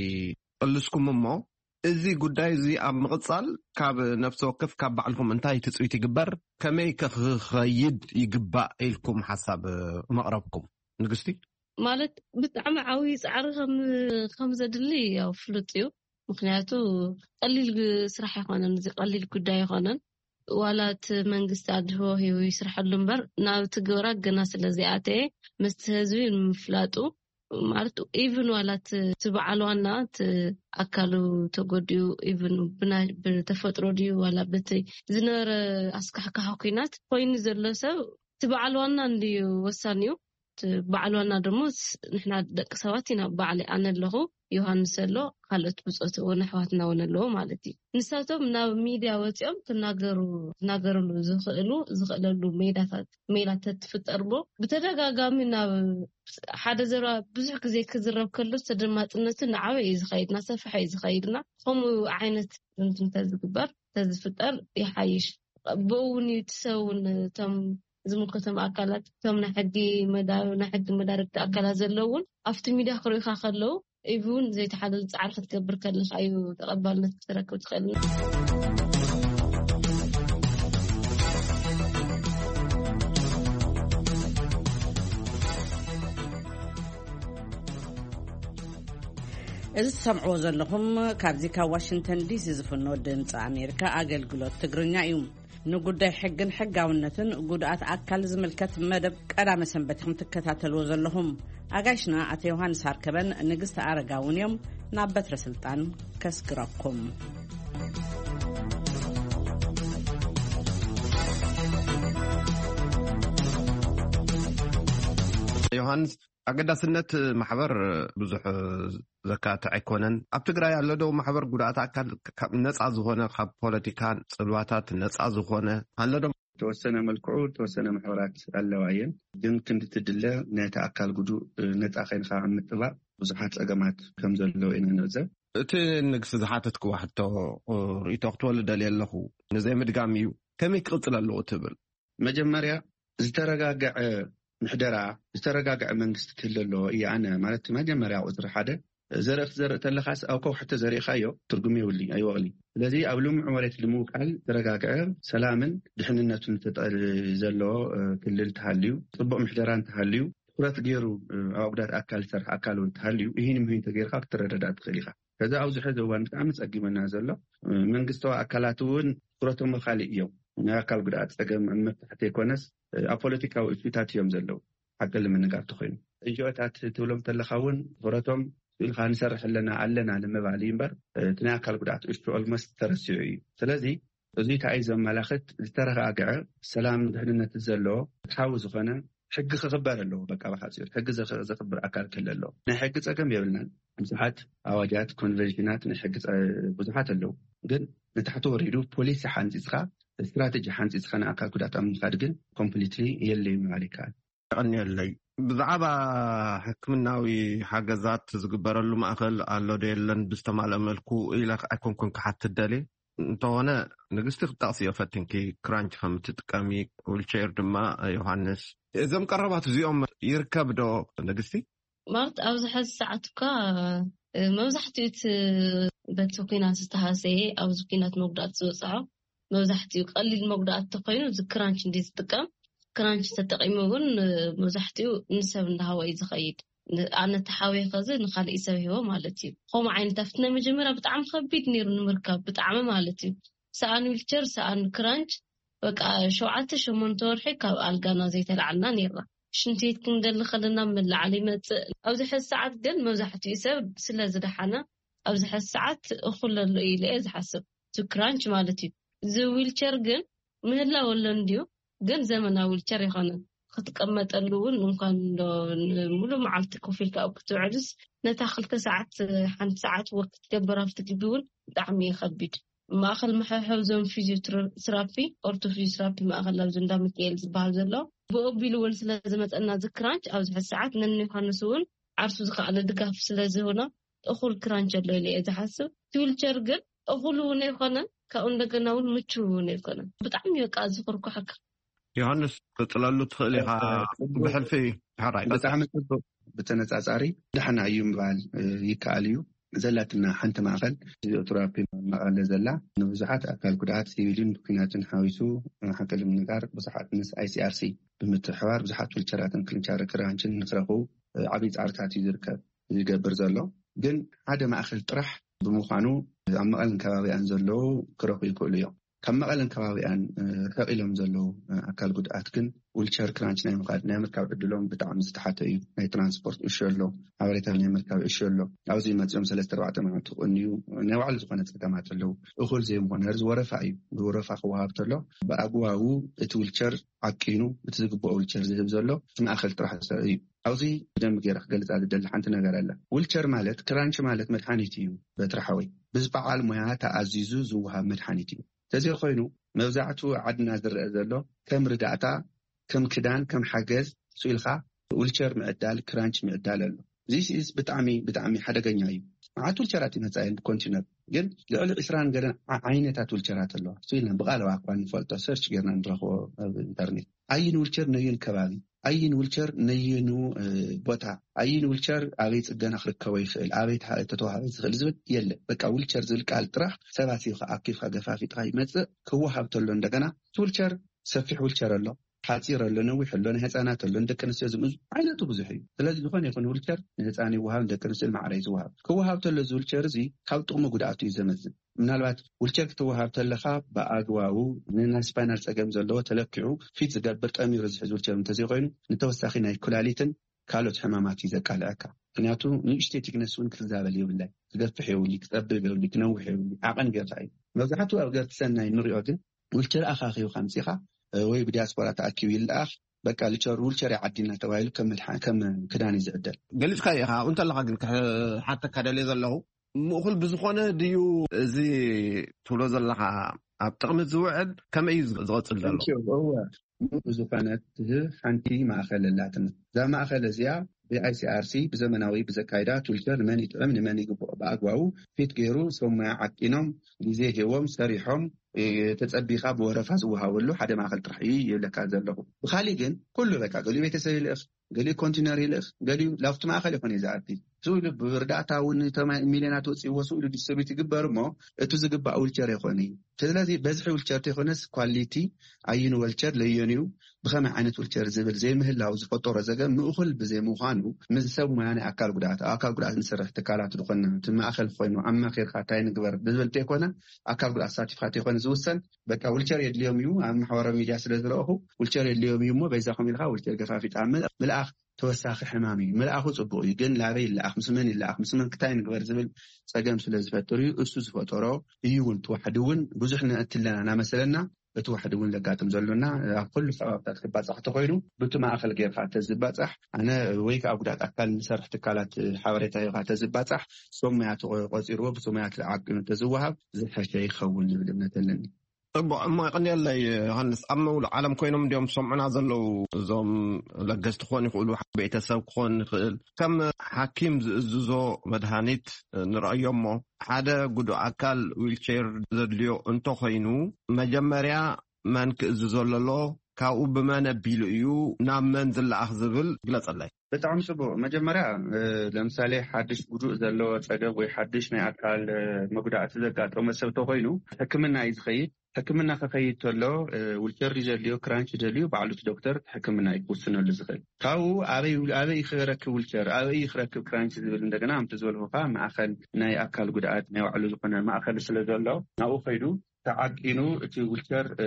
ቅልስኩም። እሞ እዚ ጉዳይ እዚ ኣብ ምቕፃል ካብ ነፍሲ ወከፍ ካብ ባዕልኹም እንታይ ትፅቢት ይግበር፣ ከመይ ከ ክኸይድ ይግባእ ኢልኩም ሓሳብ መቕረብኩም? ንግስቲ። ማለት ብጣዕሚ ዓብዪ ፃዕሪ ከም ከም ዘድሊ ያው ፍሉጥ እዩ። ምክንያቱ ቀሊል ግ- ስራሕ ኣይኮነን፣ እዚ ቀሊል ጉዳይ ኣይኮነን። ዋላ እቲ መንግስቲ ኣድህቦ ሂቡ ይስርሐሉ እምበር ናብ ትግበራ ገና ስለ ዘይኣተየ ምስቲ ህዝቢ ንምፍላጡ፣ ማለት ኢቭን ዋላ እቲ እቲ በዓል ዋና እቲ ኣካሉ ተጎዲኡ፣ ኢቭን ብና- ብተፈጥሮ ድዩ ዋላ በቲ ዝነበረ ኣስካሕካሒ ኩናት ኮይኑ ዘሎ ሰብ እቲ በዓል ዋና እንድዩ ወሳኒ እዩ። እቲ በዓል ዋና ደሞ ስ- ንሕና ደቂ ሰባት ኢና። በዓል ኣነ ኣለኹ፣ ዮሃንስ ኣሎ፣ ካልኦት ብፆት እውን ኣሕዋትና እውን ኣለዎ ማለት እዩ። ንሳቶም ናብ ሚድያ ወፂኦም ክናገሩ ክናገርሉ ዝኽእሉ ዝኽእለሉ ሜዳታት ሜላ ተትፍጠር እሞ ብተደጋጋሚ ናብ ሓደ ዘረባ ብዙሕ ግዜ ክዝረብ ከሎ ተደማፅነቱ እናዓበየ እዩ ዝኸይድ፣ እናሰፍሐ እዩ ዝኸይድ። እና ከምኡ ዓይነት እንትን ተዝግበር ተዝፍጠር ይሓይሽ። ብኡ እውን እዩ እቲ ሰብ እውን እቶም ዝምልከቶም ኣካላት እቶም ናይ ሕጊ መዳ ናይ ሕጊ መዳርግቲ ኣካላት ዘለውን ኣብቲ ሚድያ ክርእዩካ ከለዉ ኢቭን ዘይተሓለለ ፃዕሪ ክትገብር ከለካ እዩ ተቐባልነት ክትረክብ ትኽእል። እዚ ትሰምዕዎ ዘለኹም ካብዚ ካብ ዋሽንግተን ዲሲ ዝፍኖ ድምፂ ኣሜሪካ ኣገልግሎት ትግርኛ እዩ። ንጉዳይ ሕግን ሕጋውነትን ጉድኣት ኣካል ዝምልከት መደብ ቀዳመ ሰንበት ኢኹም ትከታተልዎ ዘለኹም። ኣጋይሽና ኣቶ ዮሃንስ ኣርከበን ንግስቲ ኣረጋውን እዮም ናብ በትረ ስልጣን ከስግረኩም። ዮሃንስ፣ ኣገዳስነት ማሕበር ብዙሕ ዘካትዕ ኣይኮነን። ኣብ ትግራይ ኣሎ ዶ ማሕበር ጉድኣት ኣካል ካብ ነፃ ዝኾነ፣ ካብ ፖለቲካ ፅልዋታት ነፃ ዝኾነ ኣሎ ዶ? ተወሰነ መልክዑ ተወሰነ ማሕበራት ኣለዋ እየን፣ ግን ክንዲ ትድለ ናይቲ ኣካል ጉዱእ ነፃ ኮይንካ ኣብ ምጥባቕ ብዙሓት ፀገማት ከም ዘለዎ ኢና ንዕዘብ። እቲ ንግስቲ ዝሓተትክዎ ሕቶ ርእይቶ ክትወልድ ደልየ ኣለኹ፣ ንዘይምድጋም እዩ። ከመይ ክቕፅል ኣለዎ ትብል? መጀመርያ ዝተረጋገዐ ምሕደራ፣ ዝተረጋገዐ መንግስቲ ክህሉ ኣለዎ እየ ኣነ። ማለት መጀመርያ ቁፅሪ ሓደ። ዘርኢ ክትዘርእ ተለኻስ ኣብ ከውሒ ተዘሪእካዮ ትርጉም የብሉን፣ ኣይወቕልን። ስለዚ ኣብ ልሙዕ መሬት ንምውቃል ዝተረጋገዐ ሰላምን ድሕንነቱን ተጠ- ዘለዎ ክልል ተሃልዩ፣ ፅቡቕ ምሕደራ እንተሃልዩ፣ ትኩረት ገይሩ ኣብ ጉዳት ኣካል ዝሰርሕ ኣካል እውን ተሃልዩ፣ ይህን ምሂን ተገይርካ ክትረዳዳእ ትኽእል ኢኻ። ከዚ ኣብዚ ሕዚ እዋን ብጣዕሚ ጸጊመና ዘሎ መንግስታዊ ኣካላት እውን ትኩረቶም ካልእ እዮም። ናይ ኣካል ጉድኣት ጸገም ኣብ መፍታሕቲ ዘይኮነስ ኣብ ፖለቲካዊ እሹታት እዮም ዘለዉ። ሓቂ ንምንጋር ተኾይኑ፣ ኤንጂኦታት ትብሎም ተለኻ እውን ትኩረቶም ኢልካ ንሰርሕ ኣለና ኣለና ንምባል እዩ እምበር እቲ ናይ ኣካል ጉድኣት እሹ ኦልሞስት ተረሲዑ እዩ። ስለዚ እዚ እንታይ እዩ ዘመላኽት? ዝተረጋግዐ ሰላም ድሕንነት ዘለዎ ፍትሓዊ ዝኾነ ሕጊ ክኽበር ኣለዎ። በቃ ብሓፂሩ ሕጊ ዘኸ- ዘኽብር ኣካል ክህለ ኣለዎ። ናይ ሕጊ ፀገም የብልናን። ብዙሓት ኣዋጃት፣ ኮንቨንሽናት ናይ ሕጊ ፀ- ብዙሓት ኣለዉ። ግን ንታሕቲ ወሪዱ ፖሊሲ ሓንፂፅካ፣ ስትራቴጂ ሓንፂፅካ ንኣካል ጉዳት ኣብ ምኻድ ግን ኮምፕሊትሊ የለይ ምባል ይከኣል። የቐንየለይ። ብዛዕባ ሕክምናዊ ሓገዛት ዝግበረሉ ማእኸል ኣሎ ዶ የለን ብዝተማልአ መልኩ ኢለ ኣይኮንኩን ክሓትት ደልየ። እንተኾነ ንግስቲ ክትጠቕስዮ ፈቲንኪ ክራንች ከም እትጥቀሚ፣ ዊልቸር ድማ። ዮሃንስ፣ እዞም ቀረባት እዚኦም ይርከብ ዶ ንግስቲ? ማለት ኣብዚ ሐዚ ሰዓት እኳ መብዛሕትኡ እቲ በቲ ኩናት ዝተሃሰየ ኣብዚ ኩናት መጉዳእቲ ዝበፅሖ መብዛሕትኡ ቀሊል መጉዳእቲ ተኮይኑ እዚ ክራንች እንዲ ዝጥቀም። ክራንች ተጠቂሙ እውን መብዛሕትኡ ንሰብ እንዳሃወ እዩ ዝኸይድ። ኣነ ተሓወየ ከዚ ንካልእ ሰብ ሂቦ ማለት እዩ። ከምኡ ዓይነት ኣብቲ ናይ መጀመርያ ብጣዕሚ ከቢድ ነይሩ ንምርካብ ብጣዕሚ ማለት እዩ። ሰኣን ዊልቸር ሰኣን ክራንች በቃ ሸውዓተ ሸሞንተ ወርሒ ካብ ኣልጋና ዘይተላዓልና ነይርና። ሽንትቤት ክንደሊ ከለና መላዓሊ ይመፅእ። ኣብዚ ሕዚ ሰዓት ግን መብዛሕትኡ ሰብ ስለ ዝደሓነ ኣብዚ ሕዚ ሰዓት እኹል ኣሎ ኢለ እየ ዝሓስብ። እቲ ክራንች ማለት እዩ። እዚ ዊልቸር ግን ምህላው ኣሎ እንድዩ፣ ግን ዘመናዊ ዊልቸር ኣይኮነን። ክትቀመጠሉ እውን እንኳን እንዶ ሙሉእ መዓልቲ ኮፍ ኢልካ ኣብ ክትውዕልስ ነታ ክልተ ሰዓት ሓንቲ ሰዓት ወክ ክትገብር ኣብቲ ግቢ እውን ብጣዕሚ እዩ ከቢድ። ማእኸል መሐብሐቢ ዞም ፊዚዮትራፒ ኦርቶ ፊዚዮትራፒ ማእኸል ኣብዚ እንዳ ሚካኤል ዝበሃል ዘሎ ብኦቢሉ እውን ስለ ዝመፀና እዚ ክራንች ኣብዚ ሕዚ ሰዓት ነን ዮሃንስ እውን ዓርሱ ዝኸኣለ ድጋፍ ስለ ዝህቡና እኹል ክራንች ኣሎ ኢለ እየ ዝሓስብ። እቲ ዊልቸር ግን እኹል እውን ኣይኮነን፣ ካብኡ እንደገና እውን ምቹው እውን ኣይኮነን። ብጣዕሚ በቃ ዝኹርኩሐካ። ዮሃንስ፣ ክትፅለሉ ትኽእል ኢኻ። ብሕልፊ ሕራይ ቀፅል። ብጣዕሚ ፅቡቅ። ብተነፃፃሪ ደሕና እዩ ምባል ይከኣል እዩ። ዘላትና ሓንቲ ማእኸል ፊዚዮቴራፒ መቐለ ዘላ ንብዙሓት ኣካል ጉድኣት ሲቪልን ብኩናትን ሓዊሱ ሓቂ ንምንጋር ብዙሓት ምስ ኣይሲኣርሲ ብምትሕባር ብዙሓት ዊልቸራትን ክልንቻሪ ክራንችን ንክረኽቡ ዓብዪ ፃዕርታት እዩ ዝርከብ ዝገብር ዘሎ። ግን ሓደ ማእኸል ጥራሕ ብምዃኑ ኣብ መቐልን ከባቢኣን ዘለዉ ክረኽቡ ይኽእሉ እዮም። ካብ መቐለን ከባቢኣን ርሕቕ ኢሎም ዘለዉ ኣካል ጉድኣት ግን ዊልቸር ክራንች ናይ ምኻድ ናይ ምርካብ ዕድሎም ብጣዕሚ ዝተሓተ እዩ። ናይ ትራንስፖርት እሹ ኣሎ፣ ሓበሬታ ናይ ምርካብ እሹ ኣሎ። ኣብዚ መፂኦም ሰለስተ ኣርባዕተ መዓልቲ ክቕንዩ ናይ ባዕሉ ዝኾነ ፀገማት ኣለዉ። እኹል ዘይምኾነ ርዚ ወረፋ እዩ። ብወረፋ ክወሃብ ተሎ ብኣግባቡ እቲ ዊልቸር ዓቂኑ እቲ ዝግብኦ ዊልቸር ዝህብ ዘሎ እቲ ማእኸል ጥራሕ እዩ። ኣብዚ ብደንብ ገይረ ክገልፃ ዝደሊ ሓንቲ ነገር ኣላ። ዊልቸር ማለት ክራንች ማለት መድሓኒት እዩ። በትሪ ሓወይ ብዝበዓል ሞያ ተኣዚዙ ዝወሃብ መድሓኒት እዩ። ተዘይኮይኑ መብዛሕትኡ ዓድና ዝረአ ዘሎ ከም ርዳእታ፣ ከም ክዳን፣ ከም ሓገዝ ስኢልካ ዊልቸር ምዕዳል፣ ክራንች ምዕዳል ኣሎ። ዚስ ኢዝ ብጣዕሚ ብጣዕሚ ሓደገኛ እዩ። መዓት ዊልቸራት ይመፃ እየን ብኮንቲነር፣ ግን ልዕሊ ዕስራን ገለን ዓ- ዓይነታት ዊልቸራት ኣለዋ። ስኢልና ብቃለዋ እኳ ንፈልጦ ሰርች ጌርና ንረኽቦ ኣብ ኢንተርኔት። ኣይን ዊልቸር ነዩን ከባቢ፣ ኣይን ዊልቸር ነዩኑ ቦታ፣ ኣይን ዊልቸር ኣበይ ፅገና ክርከቦ ይኽእል፣ ኣበይ ተተዋህበ ዝኽእል ዝብል የለ። በቃ ዊልቸር ዝብል ቃል ጥራሕ ሰባት ኢኻ ኣኪብካ ገፋፊጥካ ይመፅእ። ክወሃብ ተሎ እንደገና እቲ ዊልቸር ሰፊሕ ዊልቸር ኣሎ፣ ሓፂር ኣሎ፣ ነዊሕ ኣሎ፣ ናይ ህፃናት ኣሎ፣ ንደቂ ኣንስትዮ ዝምዝ ዓይነቱ ብዙሕ እዩ። ስለዚ ዝኾነ ይኹን ዊልቸር ንህፃን ይወሃብ፣ ንደቂ ኣንስትዮ ማዕረ እዩ ዝወሃብ። ክወሃብ ተሎ እዚ ዊልቸር እዚ ካብ ጥቕሚ ጉድኣቱ እዩ ዘመዝን። ምናልባት ዊልቸር ክትወሃብ ተለኻ ብኣግባቡ ንናይ ስፓይናል ፀገም ዘለዎ ተለኪዑ ፊት ዝገብር ጠሚሩ ዝሕዝ ዊልቸር እንተዘይኮይኑ ንተወሳኺ ናይ ኩላሊትን ካልኦት ሕማማት እዩ ዘቃልዐካ። ምክንያቱ ንእሽተይ ቲክነስ እውን ክዛበል የብላይ። ክገፍሕ የብሉ፣ ክፀብብ የብሉ፣ ክነውሕ የብሉ። ዓቐን ገዛ እዩ። መብዛሕትኡ ኣብ ገርት ሰናይ ንሪኦ ግን ዊልቸር ኣኻኺብካ ምፂኻ ወይ ብዲያስፖራ ተኣኪቡ ይለኣኽ። በቃ ዊልቸር ዊልቸር ዓዲና ተባሂሉ ከም መድሓ- ከም ክዳን እዩ ዝዕደል። ገሊፅካ ኢኻ። እንተለካ ግን ክሓተካ ደልየ ዘለኹ ምእኹል ብዝኾነ ድዩ እዚ ትብሎ ዘለኻ ኣብ ጥቕሚ ዝውዕል? ከመይ እዩ ዝቕፅል ዘሎ? እወ፣ ብዝኾነ ትህብ ሓንቲ ማእኸል ኣላትና። እዛ ማእኸል እዚኣ ብኣይሲኣርሲ ብዘመናዊ ብዘካይዳ ዊልቸር ንመን ይጥዕም ንመን ይግብኦ ብኣግባቡ ፊት ገይሩ ሰብ ሞያ ዓቂኖም ግዜ ሂቦም ሰሪሖም ተፀቢኻ ብወረፋ ዝወሃበሉ ሓደ ማእኸል ጥራሕ እዩ ይብለካ ዘለኹ። ብኻሊእ ግን ኩሉ በቃ ገሊኡ ቤተሰብ ይልእኽ፣ ገሊኡ ኮንቲነር ይልእኽ፣ ገሊኡ ላብቲ ማእኸል ይኾን እዩ ዝኣቲ። ስኡ ኢሉ ብርዳእታ እውን ሚልዮናት ወፂእዎ ስኡ ኢሉ ዲስትሪቢዩት ይግበር እሞ እቱ ዝግባእ ዊልቸር ይኾን እዩ። ስለዚ በዝሒ ዊልቸር ተይኮነስ ኳሊቲ ኣይን ዊልቸር ለየንኡ ብኸመይ ዓይነት ዊልቸር ዝብል ዘይምህላው ዝፈጠሮ ዘገም ምእኹል ብዘይምዃኑ ምስ ሰብ ሞያ ናይ ኣካል ጉድኣት ኣብ ኣካል ጉድኣት ንሰርሕ ትካላት ዝኾንና እቲ ማእኸል ኮይኑ ኣማኺርካ እንታይ ንግበር ብዝብል ተይኮነ ኣካል ጉድኣት ተሳቲፍካ ተይኮነ ዝውሰን በቃ ዊልቸር የድልዮም እዩ ኣብ ማሕበራዊ ሚድያ ስለ ዝረእኹ ዊልቸር የድልዮም እዩ እሞ በይዛኹም ኢልካ ዊልቸር ገፋፊጥካ ምልኣኽ ተወሳኺ ሕማም እዩ። ምልኣኹ ጽቡቕ እዩ፣ ግን ላበይ ይለኣኽ፣ ምስ መን ይለኣኽ፣ ምስ መን ክታይ ንግበር ዝብል ጸገም ስለ ዝፈጥር እዩ። እሱ ዝፈጠሮ እዩ እውን፣ እቲ ዋሕዲ እውን ብዙሕ ንእትለና እናመሰለና፣ እቲ ዋሕዲ እውን ዘጋጥም ዘሎና ኣብ ኩሉ ከባብታት ክባጻሕ ተኾይኑ፣ ብቲ ማእኸል ጌርካ ተዝባጻሕ፣ ኣነ ወይ ከዓ ጉዳት ኣካል ንሰርሕ ትካላት ሓበሬታ ሂብካ ተዝባጻሕ፣ ሶም ሞያ ተቆ-፣ ቆጺርዎ፣ ብቲ ሞያ ተዓቂኑ ተዝወሃብ ዝሐሸ ይኸውን ዝብል እምነት ኣለኒ። ጽቡቕ እሞ፣ ይቕንየለይ ዮሃንስ። ኣብ መውል ዓለም ኮይኖም እንዲዮም ሰምዑና ዘለዉ፣ እዞም ለገስቲ ክኾኑ ይኽእሉ፣ ቤተሰብ ክኾን ይኽእል። ከም ሓኪም ዝእዝዞ መድሃኒት ንረኣዮ እሞ፣ ሓደ ጉዱእ ኣካል ዊልቸር ዘድልዮ እንተኾይኑ፣ መጀመርያ መን ክእዝዞ ኣለዎ፣ ካብኡ ብመን ኣቢሉ እዩ ናብ መን ዝለኣኽ ዝብል ግለጸለይ። ብጣዕሚ ጽቡቕ። መጀመርያ፣ እ፣ ለምሳሌ ሓድሽ ጉዱእ ዘለዎ ጸገም ወይ ሓድሽ ናይ ኣካል፣ እ፣ መጉዳእቲ ዘጋጠመ ሰብ ተኾይኑ፣ ሕክምና እዩ ዝኸይድ። ሕክምና ክኸይድ ተሎ፣ እ፣ ዊልቸር ድዩ ዘድልዮ፣ ክራንች ደልዩ፣ ባዕሉ እቲ ዶክተር ሕክምና እዩ ክውስነሉ ዝኽእል። ካብኡ ኣበይ፣ ኣበይ ክረክብ ዊልቸር፣ ኣበይ ክረክብ ክራንች ዝብል እንደገና፣ ከምቲ ዝበልኩኻ፣ ማእኸል ናይ ኣካል ጉድኣት ናይ ባዕሉ ዝኾነ ማእኸል ስለ ዘሎ፣ ናብኡ ከይዱ ተዓቂኑ እቲ ዊልቸር፣ እ፣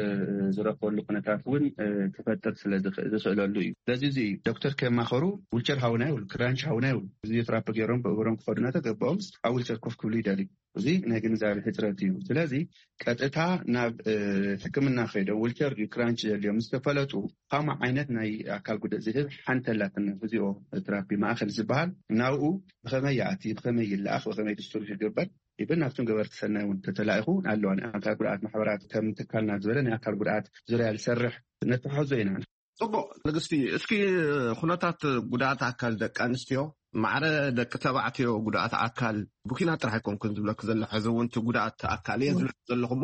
ዝረክበሉ ኩነታት እውን፣ እ፣ ክፈጥር ስለ ዝኽ-፣ ዝኽእለሉ እዩ። ስለዚ እዚ እዩ ዶክተር ከማኸሩ ዊልቸር ሃውና ይብሉ፣ ክራንች ሃውና ይብሉ። ፊዚዮቴራፒ ገይሮም ብእግሮም ክኸዱ እናተገባኦም ኣብ ዊልቸር ኮፍ ክብሉ ይደልዩ። እዚ ናይ ግንዛቤ ሕፅረት እዩ። ስለዚ ቀጥታ ናብ፣ እ፣ ሕክምና ከይዶም ዊልቸር ድዩ ክራንች ዘድልዮም ምስ ተፈለጡ፣ ከምኡ ዓይነት ናይ ኣካል ጉድኣት ዝህብ ሓንቲ ኣላትና ፊዚዮ ቴራፒ ማእኸል ዝበሃል፣ ናብኡ ብኸመይ ይኣቲ፣ ብኸመይ ይለኣኽ፣ ብኸመይ ድስትሩ ይግበር፣ ኢብን ናብቶም ገበርቲ ሰናይ እውን ተተላኢኹ ኣለዋ። ናይ ኣካል ጉድኣት ማሕበራት ከም ትካልና ዝበለ ናይ ኣካል ጉድኣት ዙርያ ዝሰርሕ ነተሓዞ ኢና። ጽቡቕ ንግስቲ፣ እስኪ ኩነታት ጉድኣት ኣካል ደቂ ኣንስትዮ፣ ማዕረ ደቂ ተባዕትዮ ጉድኣት ኣካል ብኲናት ጥራሕ ኣይኮንኩን ዝብለኪ ዘለኹ፣ ሕዚ እውን እቲ ጉድኣት ኣካል እየ ዝብለኪ ዘለኹ እሞ፣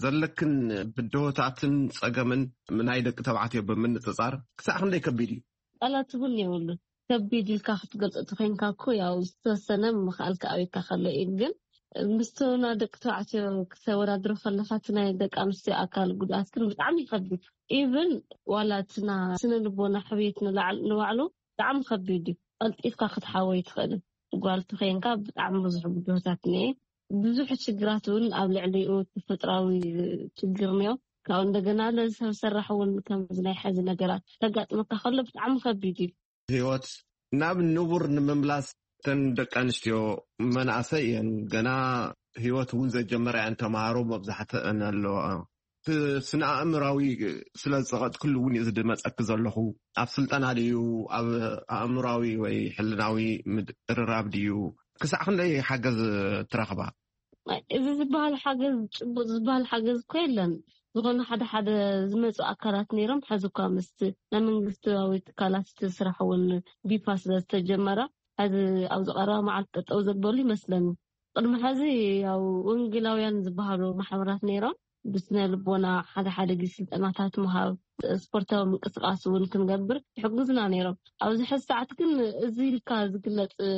ዘለክን ብድሆታትን ጸገምን ናይ ደቂ ተባዕትዮ ብምንጽጻር ክሳዕ ክንደይ ከቢድ እዩ? ቃላት እውን የብሉን። ከቢድ ኢልካ ክትገልጾ ተኾይንካ እኮ፣ ያው ዝተወሰነ ምኽኣልካ ኣበይካ ከሎ እዩ። ግን ምስቶና ደቂ ተባዕትዮ ክተወዳድሮ ከለኻ፣ እቲ ናይ ደቂ ኣንስትዮ ኣካል ጉድኣት ግን ብጣዕሚ ይኸብድ። ኢቭን ዋላ እቲ ና-፣ ስነ ልቦና ሕውየት ንላዕል-፣ ንባዕሉ ብጣዕሚ ከቢድ እዩ። ቀልጢፍካ ክትሓወይ ትኽእልን። ጓል ተኾይንካ ብጣዕሚ ብዙሕ ብድሆታት እኒኤ። ብዙሕ ችግራት እውን ኣብ ልዕሊኡ ተፈጥራዊ ችግር እኒኦ። ካብኡ እንደገና ነዚ ሰብ ሰራሕ እውን ከምዚ ናይ ሕዚ ነገራት ተጋጥመካ ከሎ ብጣዕሚ ከቢድ እዩ። ህይወት ናብ ንቡር ንምምላስ፣ እተን ደቂ ኣንስትዮ መናእሰይ እየን፣ ገና ህይወት እውን ዘጀመራ እየን፣ ተምሃሮ መብዛሕትአን ኣለዋ። እቲ ስነ ኣእምራዊ ስለ ዝጸቐጥክሉ እውን እዩ ዝድመጸኪ ዘለኹ። ኣብ ስልጠና ድዩ፣ ኣብ ኣእምራዊ ወይ ሕልናዊ ምድርራብ ድዩ? ክሳዕ ክንደይ ሓገዝ ትረኽባ? እዚ ዝበሃል ሓገዝ፣ ጭቡጥ ዝበሃል ሓገዝ እኮ የለን። ዝኾነ ሓደ ሓደ ዝመጹ ኣካላት ነይሮም፣ ሕዚ እኳ ምስቲ ናይ መንግስታዊ ትካላት እቲ ስራሕ እውን ቢፋ ስለ ዝተጀመረ፣ ሕዚ ኣብዚ ቀረባ መዓልቲ ጠጠው ዘበሉ ይመስለኒ። ቅድሚ ሕዚ ያው ወንጌላውያን ዝበሃሉ ማሕበራት ነይሮም፣ ብስነ ልቦና ሓደ ሓደ ግዜ ስልጠናታት ምሃብ፣ ስፖርታዊ ምንቅስቃስ እውን ክንገብር ይሕግዙና ነይሮም። ኣብዚ ሕዚ ሰዓት ግን እዚ ኢልካ ዝግለጽ፣ እ፣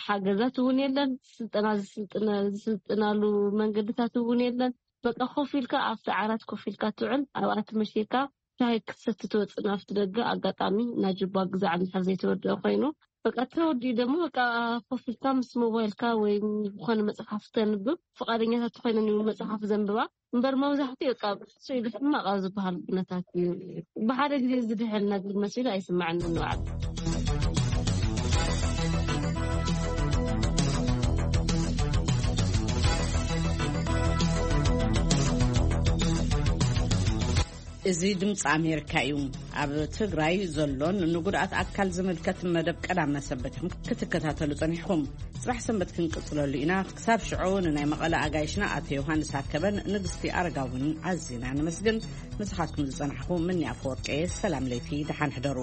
ሓገዛት እውን የለን። ስልጠና ዝስልጥነ-፣ ዝስልጥናሉ መንገድታት እውን የለን። በቃ ኮፍ ኢልካ ኣብቲ ዓራት ኮፍ ኢልካ ትውዕል፣ ኣብኣ ትመሽየካ፣ ሻሂ ክትሰቲ ትወጽእ ናብቲ ደገ። ኣጋጣሚ ናይ ጅባ ግዛዕ እንድሕር ዘይተወደአ ኮይኑ፣ በቃ ተወዲኡ ደሞ በቃ ኮፍ ኢልካ ምስ ሞባይልካ ወይ ዝኾነ መጽሓፍ ተንብብ፣ ፍቓደኛታት ተኾይነን እዩ መጽሓፍ ዘንብባ። እምበር መብዛሕትኡ በቃ ስኢሉ ሕማቕ ኣብ ዝበሃል ኩነታት እዩ። ብሓደ ግዜ ዝድሕን ነገር መሲሉ ኣይስምዐንን ንባዕሉ። እዚ ድምፂ ኣሜሪካ እዩ። ኣብ ትግራይ ዘሎን ንጉድኣት ኣካል ዝምልከት መደብ ቀዳም መሰንበት ኢኹም ክትከታተሉ ጸኒሕኩም። ጽባሕ ሰንበት ክንቅጽለሉ ኢና። ክሳብ ሽዑ ንናይ መቐለ ኣጋይሽና ኣቶ ዮሃንስ ኣከበን ንግስቲ ኣረጋውን ኣዚና ነመስግን። ምሳኻትኩም ዝጸናሕኩ ምኒ ኣፈወርቂ። ሰላም ለይቲ፣ ደሓን ሕደሩ።